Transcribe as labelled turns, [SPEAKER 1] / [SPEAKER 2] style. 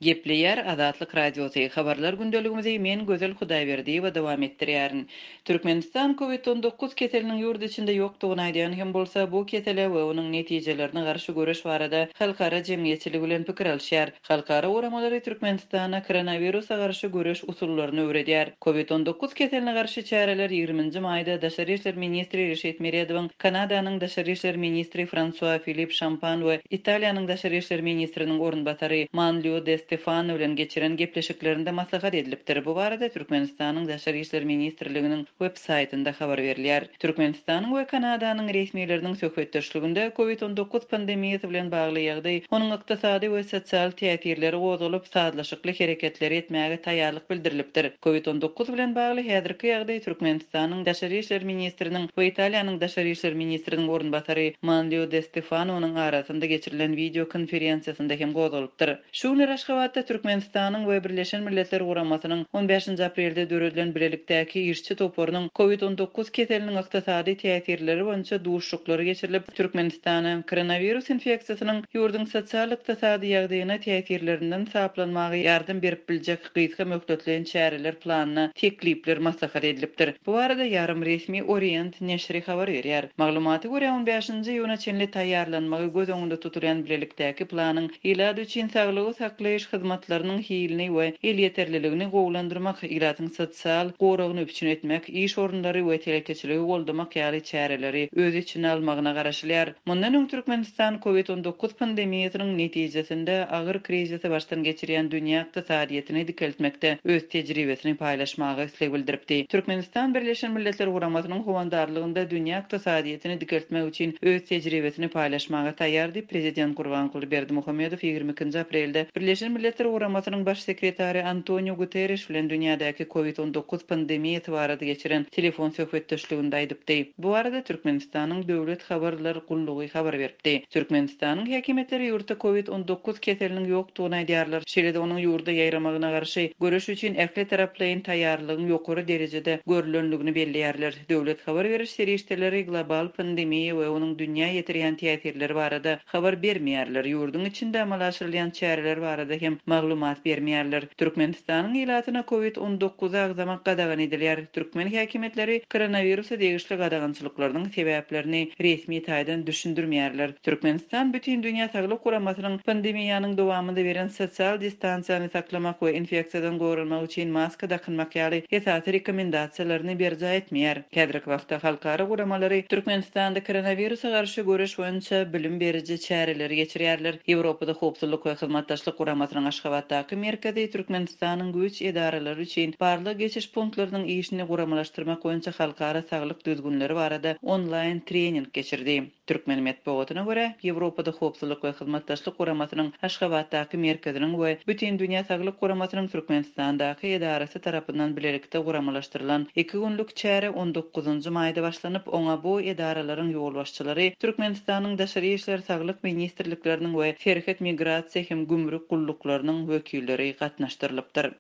[SPEAKER 1] Gepleýär Azatlyk Radiosy, Habarlar gündeligimizi men Gözel Hudaýberdiýewa dowam etdirýärin. Türkmenistan Covid 19 keseliniň ýurt içinde ýokdugyny aýdýan hem bolsa, bu kesele we onuň netijelerine garşy göreş barada halkara jemgyýetçiligi bilen pikir alyşýar. Halkara guramalary Türkmenistana koronawirusa garşy göreş usullaryny öwredýär. Covid 19 keseline garşy çäreler ýigriminji maýda daşary işler ministri Reşit Meredowyň Kanadanyň daşary işler ministri Fransua Filip Şampan we Italiýanyň daşary işler ministriniň orunbasary Manlio De Stefano bilen geçiren gepleşiklerinde maslahat edilipdir. Bu barada Türkmenistanyň Daşary işler ministrliginiň web saýtynda habar berilýär. Türkmenistanyň we Kanadanyň resmileriniň söhbetdeşliginde Covid 19 pandemiýasy bilen bagly ýagdaý, onuň ykdysady we sosial täsirleri gozgalyp, sazlaşykly hereketleri etmäge taýýarlyk bildirilipdir. Covid 19 bilen bagly häzirki ýagdaý Türkmenistanyň Daşary işler ministriniň we Italiýanyň Daşary işler ministriniň orunbasary Manlio De Stefanonyň arasynda geçirilen wideo konferensiýasynda hem gozgalypdyr. Şu günler Aşgabatda Türkmenistanyň we Birleşen Milletler Guramasynyň on bäşinji aprelde döredilen bilelikdäki işçi toparynyň Covid 19 keseliniň ykdysady täsirleri boýunça duşuşyklary geçirilip, Türkmenistana koronawirus infeksiýasynyň ýurduň sosial-ykdysady ýagdaýyna täsirlerinden saplanmaga ýardam berip biljek gysga möhletleýin çäreler planyna teklipler maslahat edilipdir. Bu barada ýarym resmi Orient neşiri habar berýär. Maglumata görä, on bäşinji iýuna çenli taýýarlanmagy göz öňünde tutulýan bilelikdäki planyň ilat üçin saglygy saklaýyş hyzmatlarynyň hilini we elýeterliligini gowulandyrmak, ilatyň sosial goragyny üpjün etmek, iş orunlary we telekeçiligi goldamak ýaly çäreleri öz içine almagyna garaşylýar. Mundan öň Türkmenistan Covid 19 pandemiýasynyň netijesinde agyr krizisi başdan geçirýän dünýä ykdysadyýetini dikeltmekde öz tejribesini paýlaşmaga isleg bildiripdi. Türkmenistan Birleşen Milletler Guramasynyň howandarlygynda dünýä ykdysadyýetini dikeltmek üçin öz tejribesini paýlaşmaga taýýar diýip, prezident Gurbanguly Berdimuhamedow 22-nji aprelde Birleşen Milletler Guramasynyň Baş sekretary Antoniu Guterriş bilen dünýädäki Covid 19 pandemiýasy barada geçiren telefon söhbetdeşliginde aýdypdy. Bu barada Türkmenistanyň Döwlet habarlar gullugy habar beripdi. Türkmenistanyň häkimiýetleri ýurtda Covid 19 keseliniň ýokdugyny aýdýarlar, şeýle-de onuň ýurda ýaýramagyna garşy göreş üçin ähli taraplaýyn taýýarlygyň ýokary derejede görlendigini belleýärler. Döwlet habar beriş serişdeleri global pandemiýa we onuň dünýä ýetirýän täsirleri barada habar bermeýärler, ýurduň içinde amala aşyrylýan çäreler barada hem maglumat bermeýärler. Türkmenistanyň ilatyna Covid 19 agzamak gadagan edilýär. Türkmen häkimiýetleri koronawirusa degişli gadagançylyklarynyň sebäplerini resmi taýdan düşündirmeýärler. Türkmenistan Bütindünýä Saglyk Guramasynyň pandemiýanyň dowamynda beren sosial distansiýany saklamak we infeksiýadan goranmak üçin maska dakynmak ýaly esasy rekomendasiýalaryny berjaý etmeýär. Häzirki wagtda halkara guramalary Türkmenistanda koronawirusa garşy göreş boýunça bilim beriji çäreleri geçirýärler. Ýewropada Howpsuzlyk we Hyzmatdaşlyk Guramasynyň Aşgabatdaky merkezi Türkmenistanyň güýç edaralary üçin barlag-geçiş punktlarynyň işini guramalaşdyrmak boýunça halkara saglyk düzgünleri barada onlaýn trening geçirdi. Türkmen metbugatyna görä, Ýewropada Howpsuzlyk we Hyzmatdaşlyk Guramasynyň Aşgabatdaky merkeziniň we Bütindünýä Saglyk Guramasynyň Türkmenistandaky edarasy tarapyndan bilelikde guramalaşdyrylan iki günlük çäre on dokuzynjy maýda başlanyp, oňa bu edaralaryň ýolbaşçylary, Türkmenistanyň Daşary işler, Saglyk ministrlikleriniň we Serhet, migrasiýa hem gümrük gulluklarynyň wekilleri gatnaşdyrylypdyr.